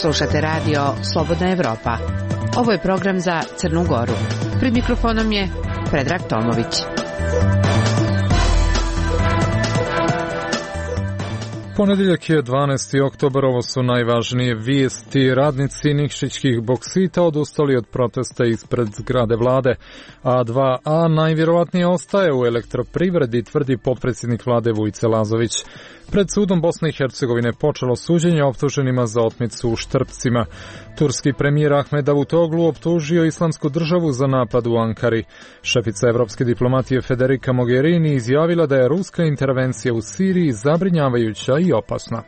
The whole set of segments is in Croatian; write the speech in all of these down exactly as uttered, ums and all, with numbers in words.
Slušate radio Slobodna Evropa. Ovo je program za Crnu Goru. Pred mikrofonom je Predrag Tomović. Ponedjeljak je dvanaesti oktobar, ovo su najvažnije vijesti. Radnici Nikšićkih boksita odustali od protesta ispred zgrade vlade. A dva A najvjerovatnije ostaje u elektroprivredi, tvrdi potpredsjednik vlade Vujice Lazović. Pred sudom Bosne i Hercegovine počelo suđenje optuženima za otmicu u Štrpcima. Turski premijer Ahmed Davutoglu optužio Islamsku državu za napad u Ankari. Šefica evropske diplomatije Federica Mogherini izjavila da je ruska intervencija u Siriji zabrinjavajuća i opasna.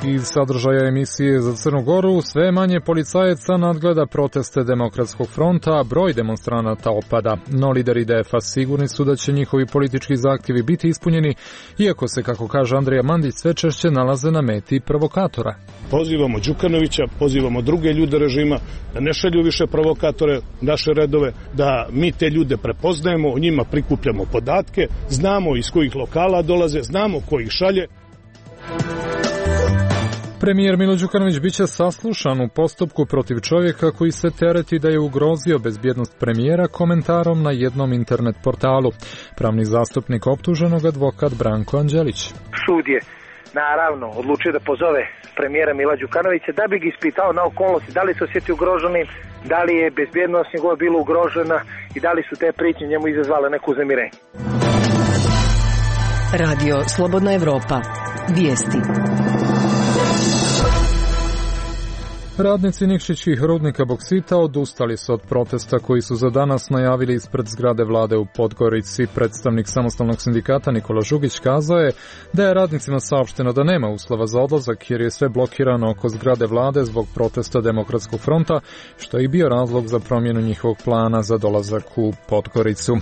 Iz sadržaja emisije za Crnu Goru sve manje policajaca nadgleda proteste Demokratskog fronta, a broj demonstranata opada. No lideri D F A sigurni su da će njihovi politički zahtjevi biti ispunjeni, iako se, kako kaže Andrija Mandić, sve češće nalaze na meti provokatora. Pozivamo Đukanovića, pozivamo druge ljude režima da ne šalju više provokatore naše redove, da mi te ljude prepoznajemo, o njima prikupljamo podatke, znamo iz kojih lokala dolaze, znamo ko ih šalje. Premijer Milo Đukanović biće saslušan u postupku protiv čovjeka koji se tereti da je ugrozio bezbjednost premijera komentarom na jednom internet portalu. Pravni zastupnik optuženog advokat Branko Anđelić. Sud je naravno odlučio da pozove premijera Mila Đukanovića da bi ga ispitao na okolnosti, da li se osjeti ugroženim, da li je bezbjednost njegova bila ugrožena i da li su te prijetnje njemu izazvale neku uznemirjenje. Radio Slobodna Evropa. Vijesti. Radnici Nikšićkih rudnika boksita odustali su od protesta koji su za danas najavili ispred zgrade vlade u Podgorici. Predstavnik samostalnog sindikata Nikola Žugić kazao je da je radnicima saopšteno da nema uslova za odlazak jer je sve blokirano oko zgrade vlade zbog protesta Demokratskog fronta, što je i bio razlog za promjenu njihovog plana za dolazak u Podgoricu.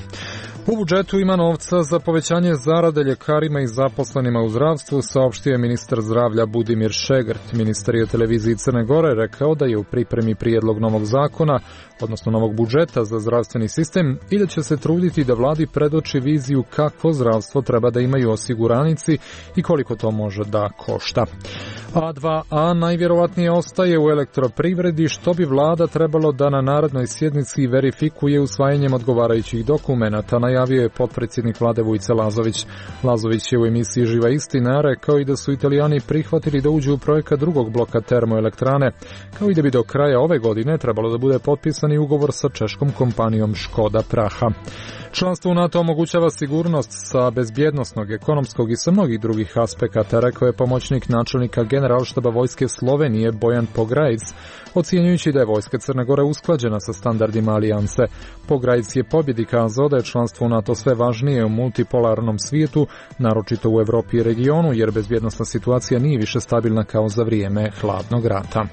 U budžetu ima novca za povećanje zarade ljekarima i zaposlenima u zdravstvu, saopštio je ministar zdravlja Budimir Šegrt. Ministar je u televiziji Crne Gore rekao da je u pripremi prijedlog novog zakona, odnosno novog budžeta za zdravstveni sistem, i da će se truditi da vladi predoči viziju kakvo zdravstvo treba da imaju osiguranici i koliko to može da košta. A dva A najvjerovatnije ostaje u elektroprivredi, što bi vlada trebalo da na narednoj sjednici verifikuje usvajanjem odgovarajućih dokumenata, najavio je potpredsjednik vlade Vujice Lazović. Lazović je u emisiji Živa istina rekao i da su Italijani prihvatili da uđu u projekat drugog bloka termoelektrane, kao i da bi do kraja ove godine trebalo da bude potpisani ugovor sa češkom kompanijom Škoda Praha. Članstvo u NATO omogućava sigurnost sa bezbjednosnog, ekonomskog i sa mnogih drugih aspekata, rekao je pomoćnik načelnika Generalštaba vojske Slovenije Bojan Pograjc, ocjenjujući da je vojska Crne Gore usklađena sa standardima alijanse. Pograjc je pobjedi kazao da je članstvo u NATO sve važnije u multipolarnom svijetu, naročito u Evropi i regionu, jer bezbjednosna situacija nije više stabilna kao za vrijeme hladnog rata.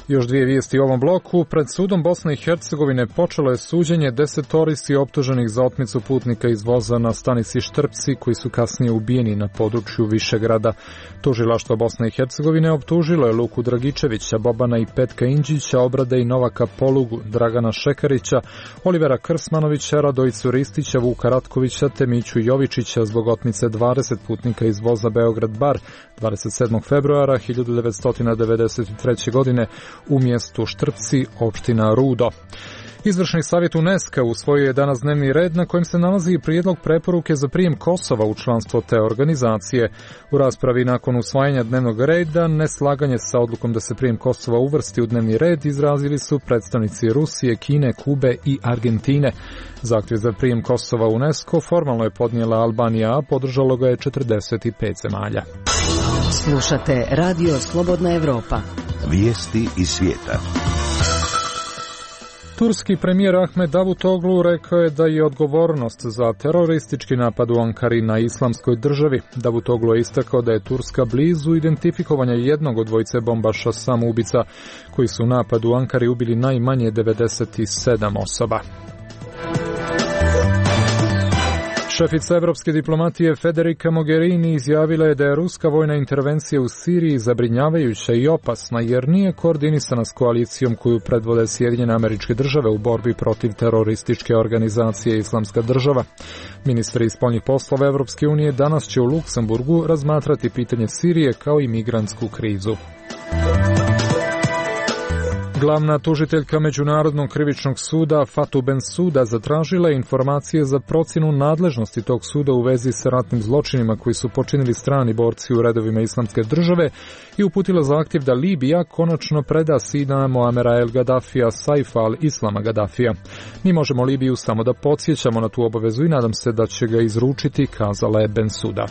Još dvije vijesti u ovom bloku. Pred sudom Bosne i Hercegovine počelo je suđenje desetorici optuženih za otmicu putnika iz voza na stanici Štrpci, koji su kasnije ubijeni na području Višegrada. Tužilaštvo Bosne i Hercegovine optužilo je Luku Dragičevića, Bobana i Petka Indžića, Obrade i Novaka Polugu, Dragana Šekarića, Olivera Krsmanovića, Radojicu Ristića, Vuka Ratkovića te Miću Jovičića zbog otmice dvadeset putnika iz voza Beograd-Bar dvadeset sedmog februara hiljadu devetsto devedeset treće. godine u mjestu Štrpci, opština Rudo. Izvršni savjet UNESCO usvojio je danas dnevni red na kojem se nalazi i prijedlog preporuke za prijem Kosova u članstvo te organizacije. U raspravi nakon usvajanja dnevnog reda neslaganje sa odlukom da se prijem Kosova uvrsti u dnevni red izrazili su predstavnici Rusije, Kine, Kube i Argentine. Zahtjev za prijem Kosova u UNESCO formalno je podnijela Albanija, a podržalo ga je četrdeset pet zemalja. Slušate Radio Slobodna Evropa. Vijesti iz svijeta. Turski premijer Ahmed Davutoglu rekao je da je odgovornost za teroristički napad u Ankari na Islamskoj državi. Davutoglu je istakao da je Turska blizu identifikovanja jednog od dvojice bombaša samoubica koji su u napadu u Ankari ubili najmanje devedeset sedam osoba. Šefica evropske diplomatije Federica Mogherini izjavila je da je ruska vojna intervencija u Siriji zabrinjavajuća i opasna jer nije koordinisana s koalicijom koju predvode Sjedinjene Američke Države u borbi protiv terorističke organizacije Islamska država. Ministri spoljnih poslova Evropske unije danas će u Luksemburgu razmatrati pitanje Sirije kao i migrantsku krizu. Glavna tužiteljka Međunarodnog krivičnog suda Fatou Bensouda zatražila je informacije za procjenu nadležnosti tog suda u vezi sa ratnim zločinima koji su počinili strani borci u redovima Islamske države i uputila zahtjev da Libija konačno preda sina Muamera el Gaddafija Saifa al-Islama Gaddafija. Mi možemo Libiju samo da podsjećamo na tu obavezu i nadam se da će ga izručiti, kazala je Bensouda.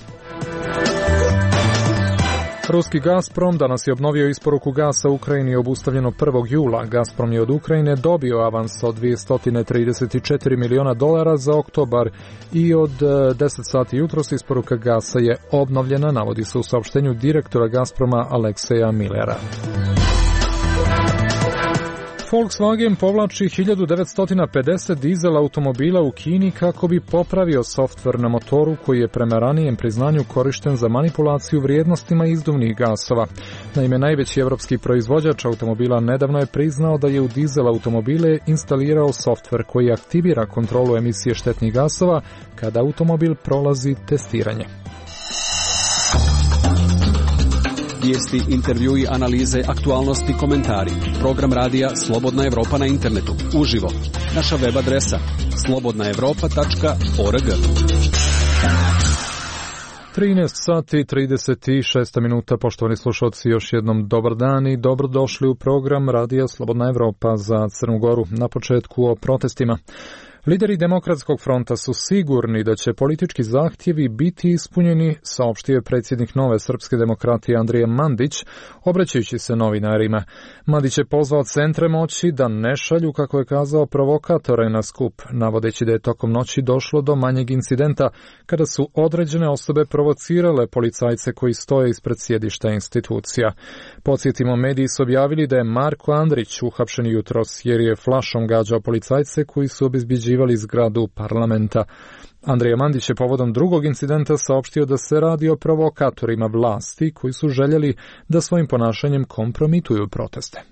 Ruski Gazprom danas je obnovio isporuku gasa Ukrajini obustavljeno prvog jula. Gazprom je od Ukrajine dobio avans od dvjesto trideset četiri miliona dolara za oktobar i od deset sati jutros isporuka gasa je obnovljena, navodi se u saopštenju direktora Gazproma Alekseja Millera. Volkswagen povlači hiljadu devetsto pedeset dizel automobila u Kini kako bi popravio softver na motoru koji je prema ranijem priznanju korišten za manipulaciju vrijednostima izduvnih gasova. Naime, najveći evropski proizvođač automobila nedavno je priznao da je u dizel automobile instalirao softver koji aktivira kontrolu emisije štetnih gasova kada automobil prolazi testiranje. Vijesti, intervjui, analize, aktualnosti, komentari. Program radija Slobodna Evropa na internetu. Uživo. Naša web adresa slobodna evropa tačka org. trinaest sati trideset šest minuta, poštovani slušalci, još jednom dobar dan i dobrodošli u program radija Slobodna Evropa za Crnu Goru. Na početku o protestima. Lideri Demokratskog fronta su sigurni da će politički zahtjevi biti ispunjeni, saopštio je predsjednik Nove srpske demokratije Andrija Mandić, obraćajući se novinarima. Mandić je pozvao centre moći da ne šalju, kako je kazao, provokatore na skup, navodeći da je tokom noći došlo do manjeg incidenta kada su određene osobe provocirale policajce koji stoje ispred sjedišta institucija. Podsjetimo, mediji su objavili da je Marko Andrić uhapšen jutros jer je flašom gađao policajce koji su obezbjeđivali zgradu parlamenta. Andrija Mandić je povodom drugog incidenta saopštio da se radi o provokatorima vlasti koji su željeli da svojim ponašanjem kompromituju proteste.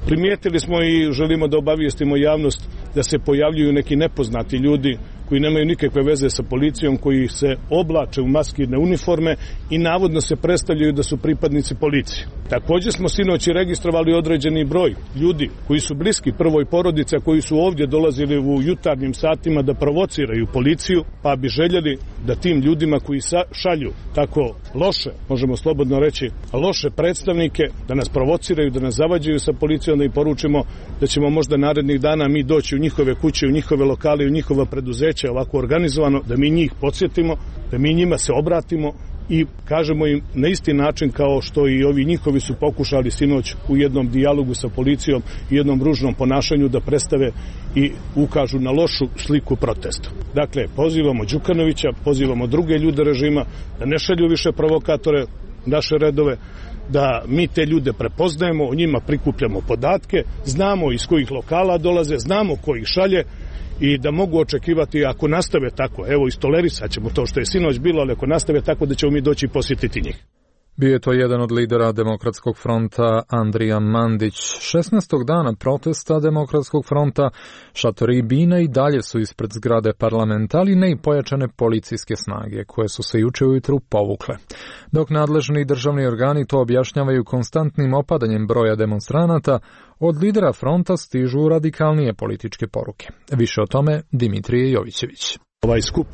Primijetili smo i želimo da obavijestimo javnost da se pojavljuju neki nepoznati ljudi koji nemaju nikakve veze sa policijom, koji se oblače u maskirne uniforme i navodno se predstavljaju da su pripadnici policije. Također smo sinoć registrovali određeni broj ljudi koji su bliski prvoj porodici, a koji su ovdje dolazili u jutarnjim satima da provociraju policiju, pa bi željeli da tim ljudima koji šalju tako loše, možemo slobodno reći, loše predstavnike, da nas provociraju, da nas zavađaju sa policijom, da im poručimo da ćemo možda narednih dana mi doći u njihove kuće, u njihove lokale, u njihova preduzeća ovako organizovano, da mi njih podsjetimo, da mi njima se obratimo i kažemo im na isti način kao što i ovi njihovi su pokušali sinoć u jednom dijalogu sa policijom i jednom ružnom ponašanju da predstave i ukažu na lošu sliku protesta. Dakle, pozivamo Đukanovića, pozivamo druge ljude režima da ne šalju više provokatore naše redove, da mi te ljude prepoznajemo, o njima prikupljamo podatke, znamo iz kojih lokala dolaze, znamo ko ih šalje i da mogu očekivati, ako nastave tako, evo istolerisat ćemo to što je sinoć bilo, ali ako nastave tako da ćemo mi doći i posjetiti njih. Bio je to jedan od lidera Demokratskog fronta Andrija Mandić. šesnaestog dana protesta Demokratskog fronta šatori i bine i dalje su ispred zgrade parlamenta, ali ne i pojačane policijske snage, koje su se juče ujutru povukle. Dok nadležni državni organi to objašnjavaju konstantnim opadanjem broja demonstranata, od lidera fronta stižu radikalnije političke poruke. Više o tome Dimitrije Jovićević. Ovaj skup,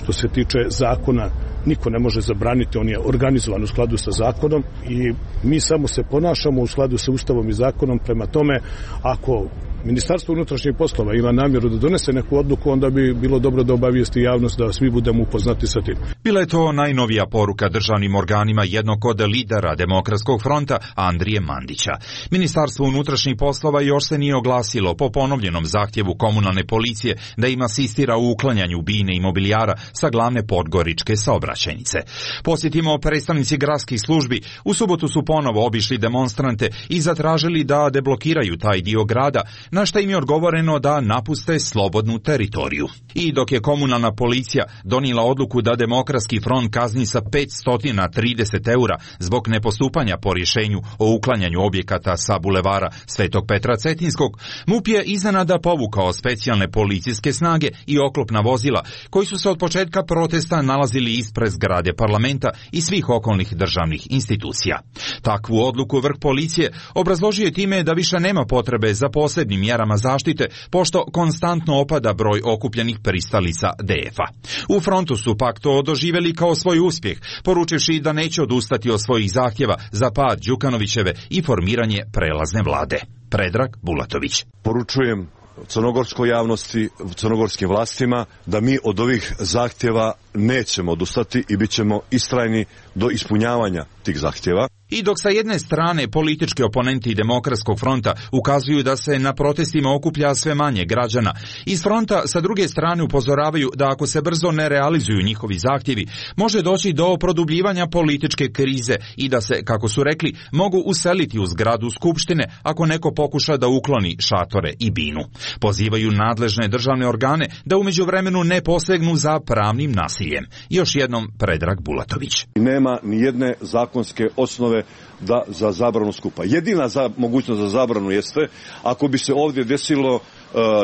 što se tiče zakona, niko ne može zabraniti, on je organizovan u skladu sa zakonom i mi samo se ponašamo u skladu sa Ustavom i zakonom. Prema tome, ako Ministarstvo unutrašnjih poslova ima namjeru da donese neku odluku, onda bi bilo dobro da obavijesti javnost, da svi budemo upoznati sa tim. Bila je to najnovija poruka državnim organima jednog od lidera Demokratskog fronta Andrije Mandića. Ministarstvo unutrašnjih poslova još se nije oglasilo po ponovljenom zahtjevu komunalne policije da im asistira u uklanjanju bine i mobilijara sa glavne podgoričke saobraćajnice. Posjetimo, predstavnici gradskih službi u subotu su ponovo obišli demonstrante i zatražili da deblokiraju taj dio grada na što im je odgovoreno da napuste slobodnu teritoriju. I dok je komunalna policija donijela odluku da Demokratski front kazni sa petsto trideset eura zbog nepostupanja po rješenju o uklanjanju objekata sa bulevara Svetog Petra Cetinskog, MUP je iznenada povukao specijalne policijske snage i oklopna vozila koji su se od početka protesta nalazili ispred zgrade parlamenta i svih okolnih državnih institucija. Takvu odluku vrh policije obrazložio je time da više nema potrebe za posebnim mjerama zaštite, pošto konstantno opada broj okupljenih pristalica D F-a. U frontu su pak to doživjeli kao svoj uspjeh, poručivši da neće odustati od svojih zahtjeva za pad Đukanovićeve i formiranje prelazne vlade. Predrag Bulatović. Poručujem crnogorskoj javnosti, crnogorskim vlastima da mi od ovih zahtjeva nećemo odustati i bit ćemo istrajni do ispunjavanja tih zahtjeva. I dok sa jedne strane politički oponenti Demokratskog fronta ukazuju da se na protestima okuplja sve manje građana, iz fronta sa druge strane upozoravaju da ako se brzo ne realizuju njihovi zahtjevi, može doći do produbljivanja političke krize i da se, kako su rekli, mogu useliti u zgradu Skupštine ako neko pokuša da ukloni šatore i binu. Pozivaju nadležne državne organe da u međuvremenu ne posegnu za pravnim nasiljem. Još jednom Predrag Bulatović. Nema ni jedne zakonske osnove da za zabranu skupa. Jedina za, mogućnost za zabranu jeste ako bi se ovdje desilo e,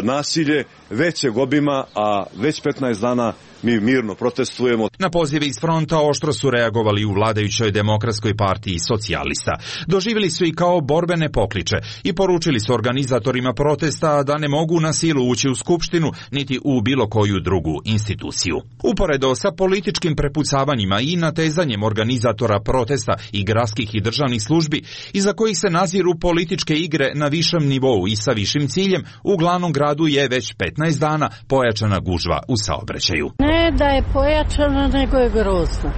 nasilje većeg obima, a već petnaest dana mi mirno protestujemo. Na pozive iz fronta oštro su reagovali u vladajućoj Demokratskoj partiji socijalista. Doživjeli su i kao borbene pokliče i poručili su organizatorima protesta da ne mogu na silu ući u Skupštinu niti u bilo koju drugu instituciju. Uporedo sa političkim prepucavanjima i natezanjem organizatora protesta i gradskih i državnih službi, iza kojih se naziru političke igre na višem nivou i sa višim ciljem, u glavnom gradu je već petnaest dana pojačana gužva u saobraćaju. Ne da je pojačano, nego je grozno.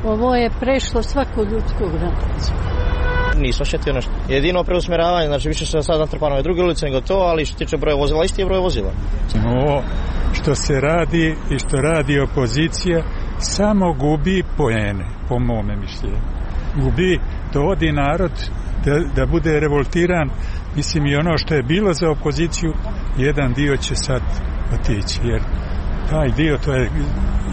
Ovo je prešlo svaku ljudsku granicu. Nisam šetio nešto. Jedino preusmjeravanje, znači više se sad natrpano je druge ulice nego to, ali što tiče broja vozila, isti je broj vozila. Ovo što se radi i što radi opozicija samo gubi poene, po mome mišljenju. Gubi, dovodi narod da, da bude revoltiran. Mislim i ono što je bilo za opoziciju, jedan dio će sad otići, jer taj dio to je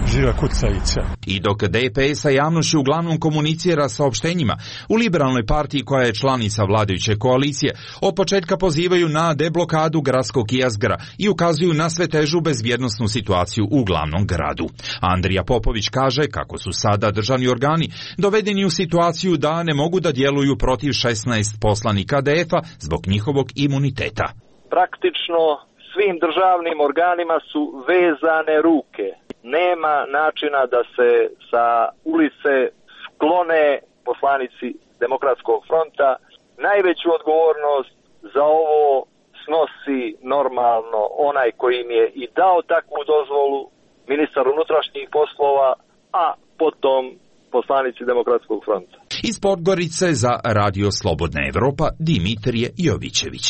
žila kucajica. I dok D P S sa javnošću uglavnom komunicira saopštenjima, u Liberalnoj partiji koja je članica vladajuće koalicije od početka pozivaju na deblokadu gradskog jezgra i ukazuju na sve težu bezbjednosnu situaciju u glavnom gradu. Andrija Popović kaže kako su sada državni organi dovedeni u situaciju da ne mogu da djeluju protiv šesnaest poslanika D F-a zbog njihovog imuniteta. Praktično svim državnim organima su vezane ruke. Nema načina da se sa ulice sklone poslanici Demokratskog fronta. Najveću odgovornost za ovo snosi normalno onaj koji im je i dao takvu dozvolu, ministar unutrašnjih poslova, a potom poslanici Demokratskog fronta. Iz Podgorice za Radio Slobodna Evropa Dimitrije Jovićević.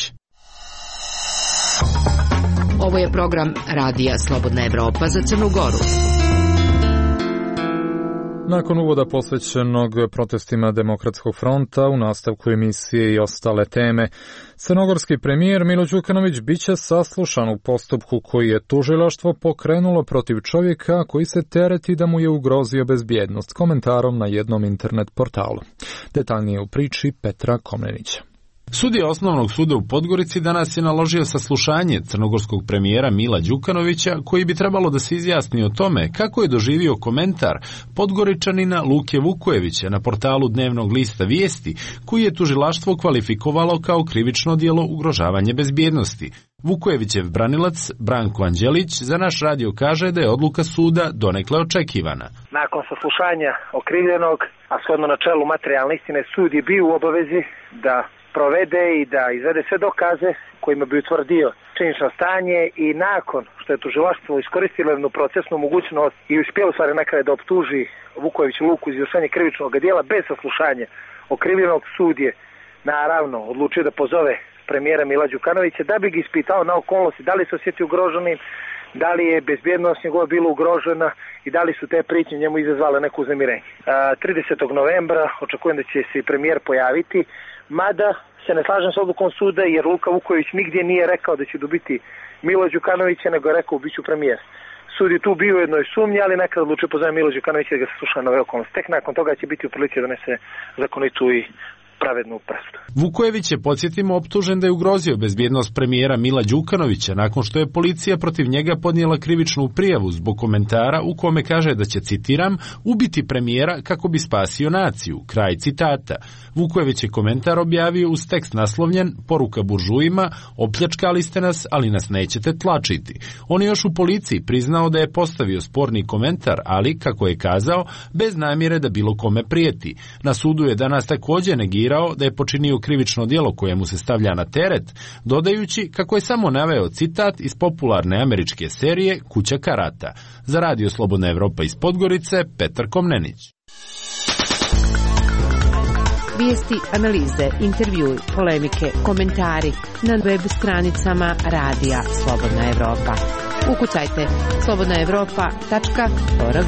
Ovo je program Radija Slobodna Evropa za Crnu Goru. Nakon uvoda posvećenog protestima Demokratskog fronta, u nastavku emisije i ostale teme, crnogorski premijer Milo Đukanović biće saslušan u postupku koji je tužilaštvo pokrenulo protiv čovjeka koji se tereti da mu je ugrozio bezbjednost, komentarom na jednom internet portalu. Detaljnije u priči Petra Komnenića. Sudija Osnovnog suda u Podgorici danas je naložio saslušanje crnogorskog premijera Mila Đukanovića, koji bi trebalo da se izjasni o tome kako je doživio komentar Podgoričanina Luke Vukojevića na portalu dnevnog lista Vijesti, koji je tužilaštvo kvalifikovalo kao krivično djelo ugrožavanje bezbjednosti. Vukojevićev branilac Branko Anđelić za naš radio kaže da je odluka suda donekle očekivana. Nakon saslušanja okrivljenog, a shodno načelu materijalne istine, sud je bio u obavezi da provede i da izvede sve dokaze kojima bi utvrdio činjenično stanje i nakon što je tužilaštvo iskoristilo jednu procesnu mogućnost i uspjelo stvari na kraju da optuži Vukojević Luku iz izvršenja krivičnog djela bez saslušanja okrivljenog, sud je naravno odlučio da pozove premijera Mila Đukanovića da bi ga ispitao na okolnosti da li se osjeti ugroženim, da li je bezbjednost njegova bila ugrožena i da li su te prijetnje njemu izazvale neko uznemirenje. tridesetog novembra očekujem da će se premijer pojaviti mada se ne slažem s odlukom suda jer Luka Vuković nigdje nije rekao da će dobiti Milo Đukanovića, nego je rekao biću premijer. Sud je tu bio u jednoj sumnji, ali nekad odlučio pozove Milo Đukanovića da ga se sluša na ove okolnosti. Tek nakon toga će biti u prilici da donese zakonitu i pravednu presudu. Vukojević je, podsjetimo, optužen da je ugrozio bezbjednost premijera Mila Đukanovića nakon što je policija protiv njega podnijela krivičnu prijavu zbog komentara u kome kaže da će, citiram, ubiti premijera kako bi spasio naciju. Kraj citata. Vukojević je komentar objavio uz tekst naslovljen "Poruka buržujima, opljačkali ste nas, ali nas nećete tlačiti". On je još u policiji priznao da je postavio sporni komentar, ali, kako je kazao, bez namjere da bilo kome prijeti. Na sudu je danas također negirao da je počinio krivično djelo koje mu se stavlja na teret, dodajući kako je samo naveo citat iz popularne američke serije Kuća karata. Za Radio Slobodna Evropa iz Podgorice, Petar Komnenić. Vijesti, analize, intervjui, polemike, komentari na web stranicama Radija Slobodna Evropa. Ukucajte slobodna evropa tačka org.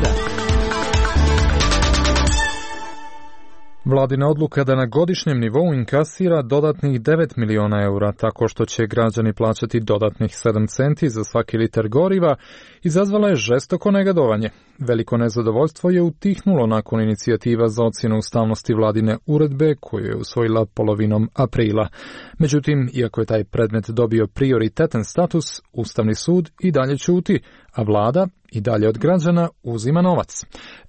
Vladina odluka da na godišnjem nivou inkasira dodatnih devet miliona eura tako što će građani plaćati dodatnih sedam centi za svaki litar goriva izazvala je žestoko negodovanje. Veliko nezadovoljstvo je utihnulo nakon inicijativa za ocjenu ustavnosti vladine uredbe koju je usvojila polovinom aprila. Međutim, iako je taj predmet dobio prioritetan status, Ustavni sud i dalje ćuti, a vlada i dalje od građana uzima novac.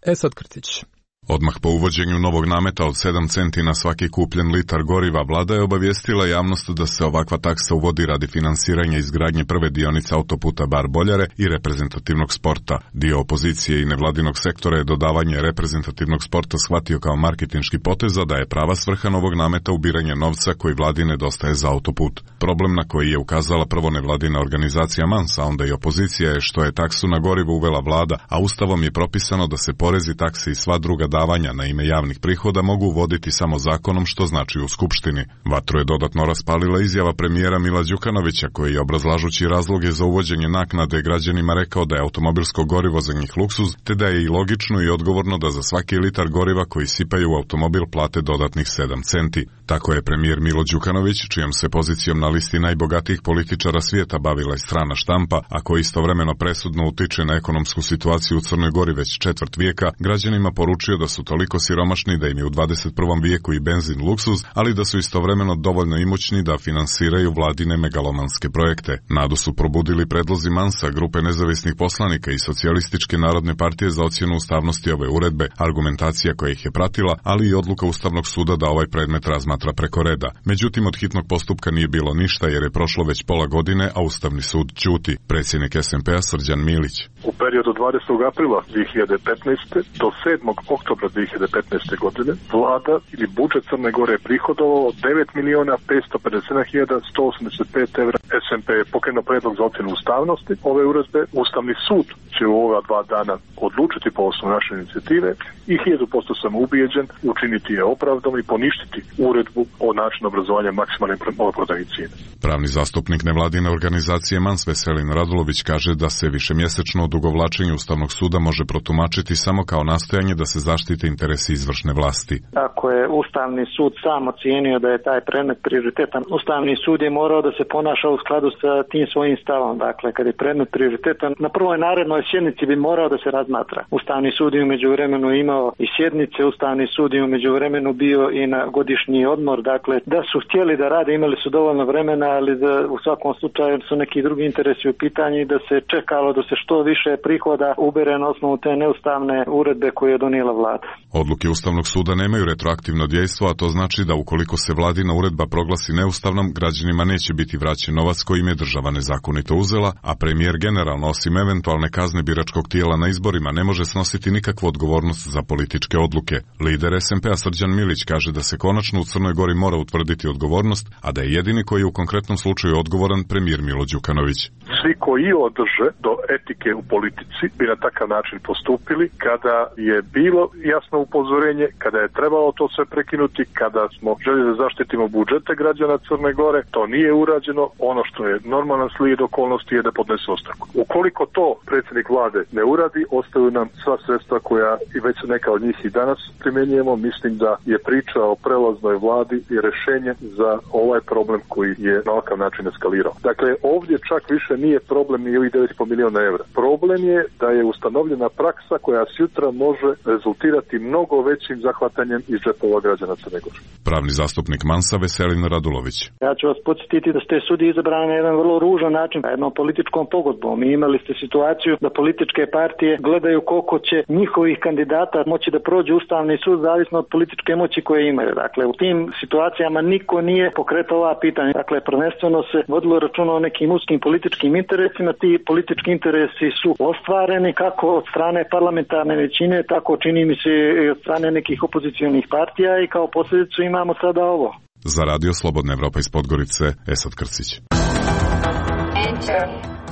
Esad Krtić. Odmah po uvođenju novog nameta od sedam centi na svaki kupljen litar goriva, vlada je obavijestila javnost da se ovakva taksa uvodi radi finansiranja izgradnje prve dionice autoputa Bar-Boljare i reprezentativnog sporta. Dio opozicije i nevladinog sektora je dodavanje reprezentativnog sporta shvatio kao marketinški potez, da je prava svrha novog nameta ubiranje novca koji vladi nedostaje za autoput. Problem na koji je ukazala prvo nevladina organizacija Mans, a onda i opozicija, je što je taksu na gorivo uvela vlada, a ustavom je propisano da se porezi, takse i sva druga davanja na ime javnih prihoda mogu uvoditi samo zakonom, što znači u Skupštini. Vatru je dodatno raspalila izjava premijera Mila Đukanovića, koji je, obrazlažući razloge za uvođenje naknade građanima, rekao da je automobilsko gorivo za njih luksuz, te da je i logično i odgovorno da za svaki litar goriva koji sipaju u automobil plate dodatnih sedam centi. Tako je premijer Milo Đukanović, čijom se pozicijom na listi najbogatijih političara svijeta bavila i strana štampa, a koji istovremeno presudno utiče na ekonomsku situaciju u Crnoj Gori već četvrt vijeka, građanima poručio da su toliko siromašni da im je u dvadeset prvom vijeku i benzin luksuz, ali da su istovremeno dovoljno imućni da finansiraju vladine megalomanske projekte. Nadu su probudili predlozi Mansa, grupe nezavisnih poslanika i Socijalističke narodne partije za ocjenu ustavnosti ove uredbe, argumentacija koja ih je pratila, ali i odluka Ustavnog suda da ovaj predmet razmatra preko reda. Međutim, od hitnog postupka nije bilo ništa jer je prošlo već pola godine, a Ustavni sud ćuti. Predsjednik es em pe-a Srđan Milić. U periodu dvadesetog aprila dvije hiljade petnaeste do sedmog oktobra dvije hiljade petnaeste godine vlada ili budžet Crne Gore je prihodovao devet miliona petsto pedeset sedam hiljada sto osamdeset pet evra. es em pe je pokrenuo predlog za ocjenu ustavnosti ove uredbe. Ustavni sud će u ova dva dana odlučiti po osnovu naše inicijative i hiljadu posto sam ubijeđen učiniti je opravdom i poništiti uredbu o načinu obrazovanja maksimalne maloprodajne cijene. Pravni zastupnik nevladine organizacije Mans Veselin Radulović kaže da se višemjesečno odugovlačenje Ustavnog suda može protumačiti samo kao nastojanje da se zaštite interesi izvršne vlasti. Ako je Ustavni sud sam ocijenio da je taj predmet prioritetan, Ustavni sud je morao da se ponaša u skladu sa tim svojim stavom. Dakle, kad je predmet prioritetan, na prvoj narednoj sjednici bi morao da se razmatra. Ustavni sud je umeđu vremenu imao i sjednice, Ustavni sud je umeđu vremenu bio i na godišnji odmor. Dakle, da su htjeli da rade, imali su dovoljno vremena, ali da u svakom slučaju su neki drugi interesi u pitanju i da se čekalo da se što više prihoda ubere na osnovu te neustavne uredbe koje je donijela vlada. Odluke Ustavnog suda nemaju retroaktivno dejstvo, a to znači da ukoliko se vladina uredba proglasi neustavnom, građanima neće biti vraćen novac kojim je država nezakonito uzela, a premijer generalno, osim eventualne kazne biračkog tijela na izborima, ne može snositi nikakvu odgovornost za političke odluke. Lider es em pe-a Srđan Milić kaže da se konačno u Crnoj Gori mora utvrditi odgovornost, a da je jedini koji je u konkretnom slučaju odgovoran premijer Milo Đukanović. Svi koji održe do etike u politici bi na takav način postupili kada je bilo jasno upozorenje, kada je trebalo to sve prekinuti, kada smo željeli da zaštitimo budžete građana Crne Gore, to nije urađeno. Ono ono što je normalan slijed okolnosti je da podnese ostavku. Ukoliko to predsjednik vlade ne uradi, ostaju nam sva sredstva koja i već neka od njih i danas primjenjujemo. Mislim da je priča o prelaznoj vladi i rješenje za ovaj problem koji je na ovakav način eskalirao. Dakle, ovdje čak više nije problem ni ovih devet i pol milijuna evra. Problem je da je ustanovljena praksa koja sutra može rezultirati mnogo većim zahvatanjem iz džepova građana Crne Gore. Pravni zastupnik Mansa Veselin Radulović. Ja ću vas podsjetiti da ste sudije izabrani na jedan vrlo ružan način, jednom političkom pogodbom. I imali ste situaciju da političke partije gledaju koliko će njihovih kandidata moći da prođe Ustavni sud zavisno od političke moći koje imaju. Dakle, u tim situacijama niko nije pokretao ova pitanja. Dakle, prvenstveno se vodilo računa o nekim uskim političkim interesima. Ti politički interesi su ostvareni kako od strane parlamentarne većine, tako čini mi se i od strane nekih opozicionih partija i kao posljedicu imamo sada ovo. Za Radio Slobodna Evropa iz Podgorice, Esad Krcić.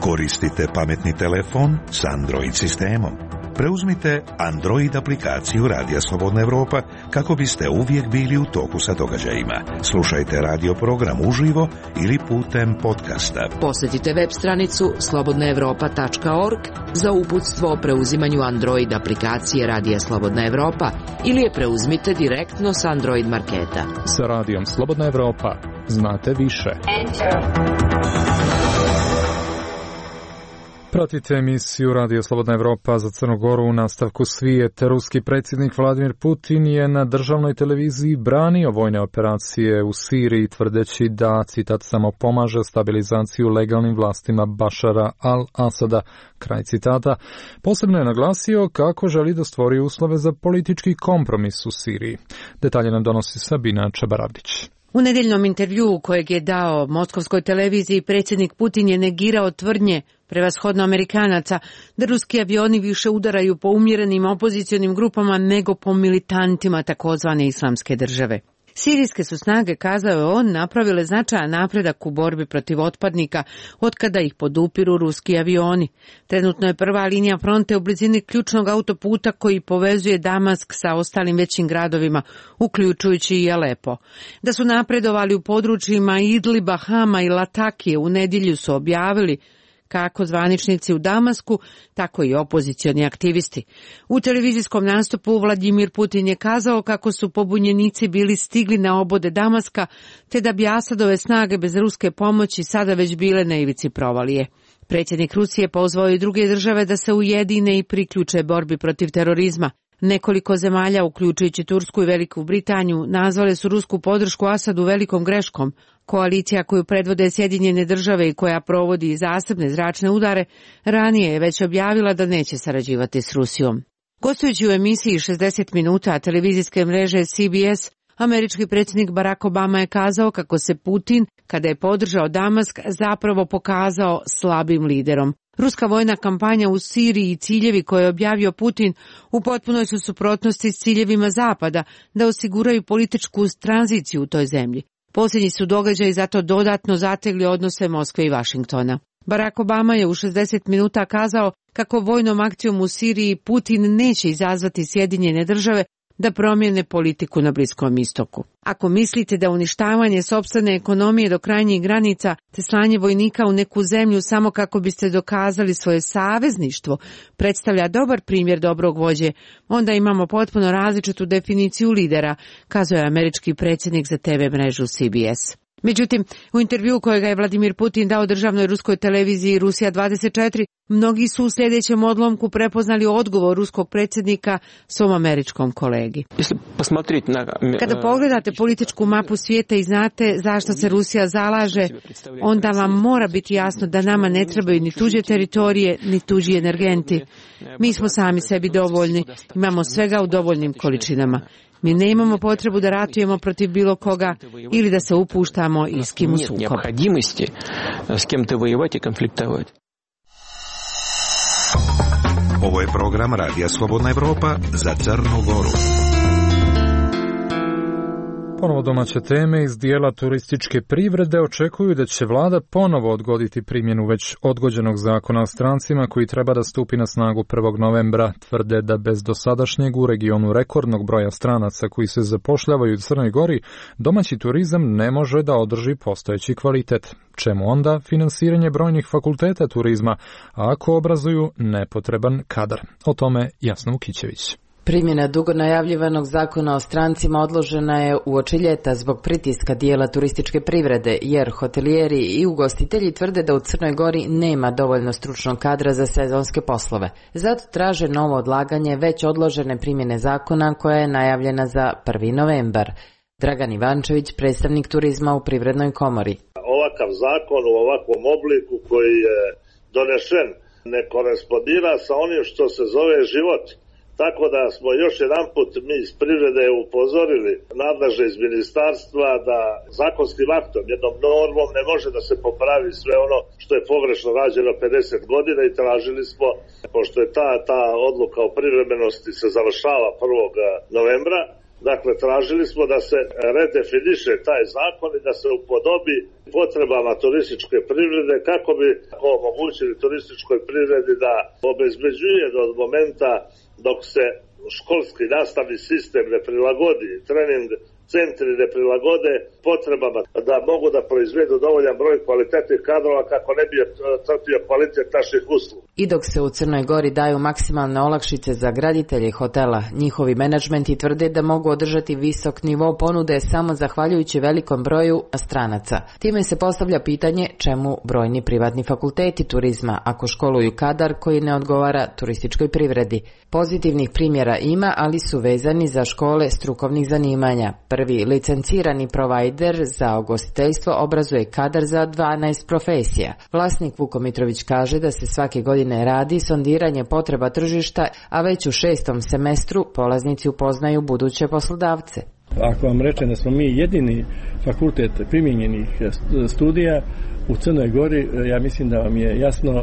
Koristite pametni telefon s Android sistemom. Preuzmite Android aplikaciju Radija Slobodna Evropa kako biste uvijek bili u toku sa događajima. Slušajte radio program uživo ili putem podcasta. Posjetite web stranicu slobodna evropa tačka org za uputstvo o preuzimanju Android aplikacije Radija Slobodna Evropa ili je preuzmite direktno s Android marketa. Sa Radijom Slobodna Evropa znate više. Pratite emisiju Radio Slobodna Evropa za Crnu Goru u nastavku svijeta. Ruski predsjednik Vladimir Putin je na državnoj televiziji branio vojne operacije u Siriji, tvrdeći da, citat, samo pomaže stabilizaciju legalnim vlastima Bašara al-Asada, kraj citata. Posebno je naglasio kako želi da stvori uslove za politički kompromis u Siriji. Detalje nam donosi Sabina Čabaravdić. U nedeljnom intervjuu kojeg je dao moskovskoj televiziji, predsjednik Putin je negirao tvrdnje prevashodno Amerikanaca da ruski avioni više udaraju po umjerenim opozicionim grupama nego po militantima takozvane islamske države. Sirijske su snage, kazao je on, napravile značajan napredak u borbi protiv otpadnika otkada ih podupiru ruski avioni. Trenutno je prva linija fronte u blizini ključnog autoputa koji povezuje Damask sa ostalim većim gradovima, uključujući i Alepo. Da su napredovali u područjima Idliba, Hama i Latakije u nedjelju su objavili kako zvaničnici u Damasku, tako i opozicioni aktivisti. U televizijskom nastupu Vladimir Putin je kazao kako su pobunjenici bili stigli na obode Damaska, te da bi Asadove snage bez ruske pomoći sada već bile na ivici provalije. Predsjednik Rusije pozvao i druge države da se ujedine i priključe borbi protiv terorizma. Nekoliko zemalja, uključujući Tursku i Veliku Britaniju, nazvale su rusku podršku Asadu velikom greškom. Koalicija koju predvode Sjedinjene države i koja provodi zasebne zračne udare, ranije je već objavila da neće sarađivati s Rusijom. Gostujući u emisiji šezdeset minuta televizijske mreže C B S, američki predsjednik Barack Obama je kazao kako se Putin, kada je podržao Damask, zapravo pokazao slabim liderom. Ruska vojna kampanja u Siriji i ciljevi koje je objavio Putin u potpunoj su suprotnosti s ciljevima Zapada da osiguraju političku tranziciju u toj zemlji. Posljednji su događaji zato dodatno zategli odnose Moskve i Vašingtona. Barack Obama je u šezdeset minuta kazao kako vojnom akcijom u Siriji Putin neće izazvati Sjedinjene države da promijene politiku na Bliskom istoku. Ako mislite da uništavanje sopstvene ekonomije do krajnjih granica te slanje vojnika u neku zemlju samo kako biste dokazali svoje savezništvo predstavlja dobar primjer dobrog vođe, onda imamo potpuno različitu definiciju lidera, kazao je američki predsjednik za T V mrežu C B S. Međutim, u intervjuu kojega je Vladimir Putin dao državnoj ruskoj televiziji Rusija dvadeset četiri, mnogi su u sljedećem odlomku prepoznali odgovor ruskog predsjednika svom američkom kolegi. Kada pogledate političku mapu svijeta i znate zašto se Rusija zalaže, onda vam mora biti jasno da nama ne trebaju ni tuđe teritorije, ni tuđi energenti. Mi smo sami sebi dovoljni, imamo svega u dovoljnim količinama. Mi ne imamo potrebu da ratujemo protiv bilo koga ili da se upuštamo i s kim u sukob. Ovo je program Radija Slobodna Evropa za Crnu Goru. Ponovo domaće teme iz dijela turističke privrede očekuju da će vlada ponovo odgoditi primjenu već odgođenog zakona o strancima koji treba da stupi na snagu prvog novembra. Tvrde da bez dosadašnjeg u regionu rekordnog broja stranaca koji se zapošljavaju u Crnoj Gori, domaći turizam ne može da održi postojeći kvalitet. Čemu onda finansiranje brojnih fakulteta turizma, ako obrazuju nepotreban kadar? O tome Jasna Vukićević. Primjena dugo najavljivanog zakona o strancima odložena je uoči ljeta zbog pritiska dijela turističke privrede, jer hotelijeri i ugostitelji tvrde da u Crnoj Gori nema dovoljno stručnog kadra za sezonske poslove. Zato traže novo odlaganje već odložene primjene zakona koja je najavljena za prvi novembar. Dragan Ivančević, predstavnik turizma u Privrednoj komori. Ovakav zakon u ovakvom obliku koji je donešen ne korespondira sa onim što se zove život. Tako da smo još jedan put mi iz privrede upozorili nadležne iz ministarstva da zakonskim aktom, jednom normom ne može da se popravi sve ono što je pogrešno rađeno pedeset godina i tražili smo, pošto je ta, ta odluka o privremenosti se završava prvog novembra, dakle tražili smo da se redefiniše taj zakon i da se upodobi potrebama turističke privrede kako bi omogućili turističkoj privredi da obezbeđuje od momenta dok se školski nastavni sistem ne prilagodi, trening centri ne prilagode potrebama da mogu da proizvedu dovoljan broj kvalitetnih kadrova kako ne bi trpio kvalitet naših usluga. I dok se u Crnoj Gori daju maksimalne olakšice za graditelje hotela, njihovi menadžmenti tvrde da mogu održati visok nivo ponude samo zahvaljujući velikom broju stranaca. Time se postavlja pitanje čemu brojni privatni fakulteti turizma ako školuju kadar koji ne odgovara turističkoj privredi. Pozitivnih primjera ima, ali su vezani za škole strukovnih zanimanja. Prvi licencirani provajder za ugostiteljstvo obrazuje kadar za dvanaest profesija. Vlasnik Vuko Mitrović kaže da se svake godine radi sondiranje potreba tržišta, a već u šestom semestru polaznici upoznaju buduće poslodavce. Ako vam rečem da smo mi jedini fakultet primijenjenih studija u Crnoj Gori, ja mislim da vam je jasno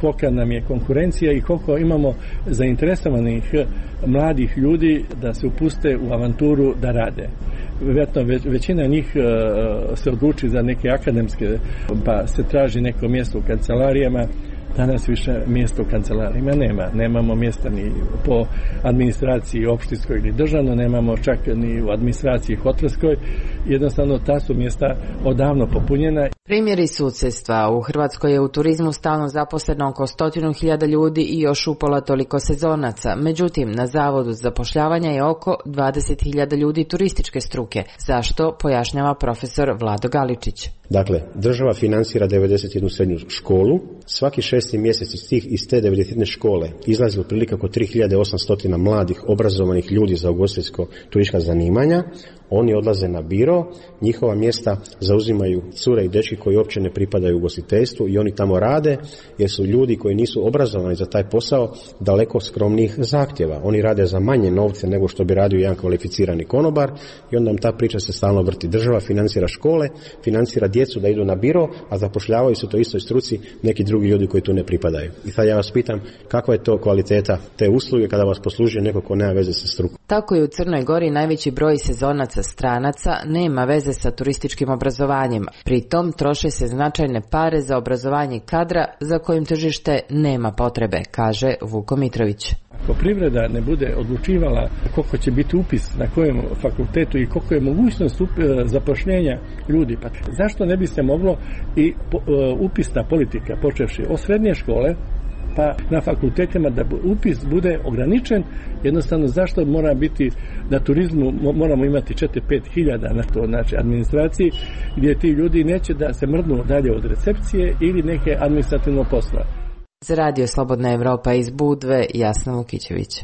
kolika nam je konkurencija i koliko imamo zainteresovanih mladih ljudi da se upuste u avanturu da rade. Vjerojatno većina njih se odluči za neke akademske, pa se traži neko mjesto u kancelarijama. Danas više mjesta u kancelarijama nema. Nemamo mjesta ni po administraciji opštinskoj ili državno, nemamo čak ni u administraciji hotelskoj. Jednostavno ta su mjesta odavno popunjena. Primjeri sudstva. U Hrvatskoj je u turizmu stalno zaposleno oko stotinu hiljada ljudi i još upola toliko sezonaca. Međutim, na Zavodu za zapošljavanje je oko dvadeset hiljada ljudi turističke struke. Zašto? Pojašnjava profesor Vlado Galičić. Dakle, država financira devedeset jednu srednju školu. Svaki šesti mjesec iz, tih, iz te devedeset jedne škole izlazi otprilike oko tri hiljade osamsto mladih obrazovanih ljudi za ugostiteljsko turistička zanimanja. Oni odlaze na biro, njihova mjesta zauzimaju cure i dečki koji uopće ne pripadaju ugostiteljstvu i oni tamo rade jer su ljudi koji nisu obrazovani za taj posao daleko skromnijih zahtjeva. Oni rade za manje novce nego što bi radio jedan kvalificirani konobar i onda im ta priča se stalno vrti. Država financira škole, financira djecu da idu na biro, a zapošljavaju se to istoj struci neki drugi ljudi koji tu ne pripadaju. I sad ja vas pitam kakva je to kvaliteta te usluge kada vas poslužuje neko ko nema veze sa strukom. Tako je u Crnoj Gori najveći broj sezonaca stranaca nema veze sa turističkim obrazovanjem. Pritom troše se značajne pare za obrazovanje kadra za kojim tržište nema potrebe, kaže Vuko Mitrović. Ako privreda ne bude odlučivala koliko će biti upis na kojem fakultetu i koliko je mogućnost zapošljenja ljudi, pa zašto ne bi se moglo i upisna politika počevši od srednje škole pa na fakultetima da upis bude ograničen, jednostavno zašto mora biti na turizmu moramo imati četiri do pet hiljada na to, znači administraciji gdje ti ljudi neće da se mrdnu dalje od recepcije ili neke administrativno posla. Za Radio Slobodna Evropa iz Budve, Jasna Vukićević.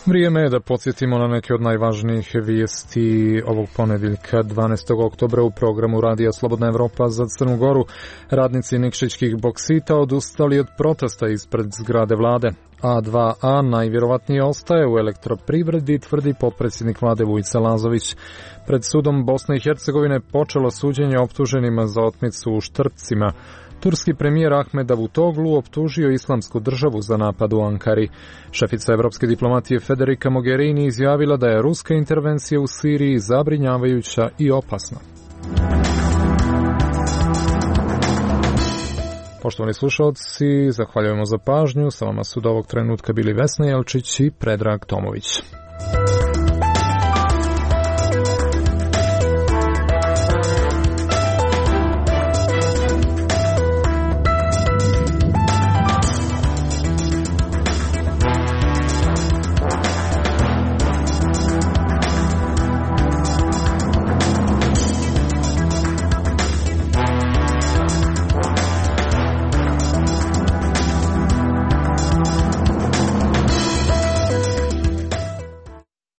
Vrijeme je da podsjetimo na neke od najvažnijih vijesti ovog ponedjeljka dvanaestog oktobra u programu Radija Slobodna Evropa za Crnu Goru. Radnici Nikšićkih boksita odustali od protesta ispred zgrade vlade. A dva A najvjerovatnije ostaje u elektroprivredi, tvrdi potpredsjednik vlade Vujica Lazović. Pred sudom Bosne i Hercegovine počelo suđenje optuženima za otmicu u Štrpcima. Turski premijer Ahmed Davutoglu optužio Islamsku državu za napad u Ankari. Šefica evropske diplomatije Federica Mogherini izjavila da je ruska intervencija u Siriji zabrinjavajuća i opasna. Poštovani slušalci, zahvaljujemo za pažnju. Sa vama su do ovog trenutka bili Vesna Jelčić i Predrag Tomović.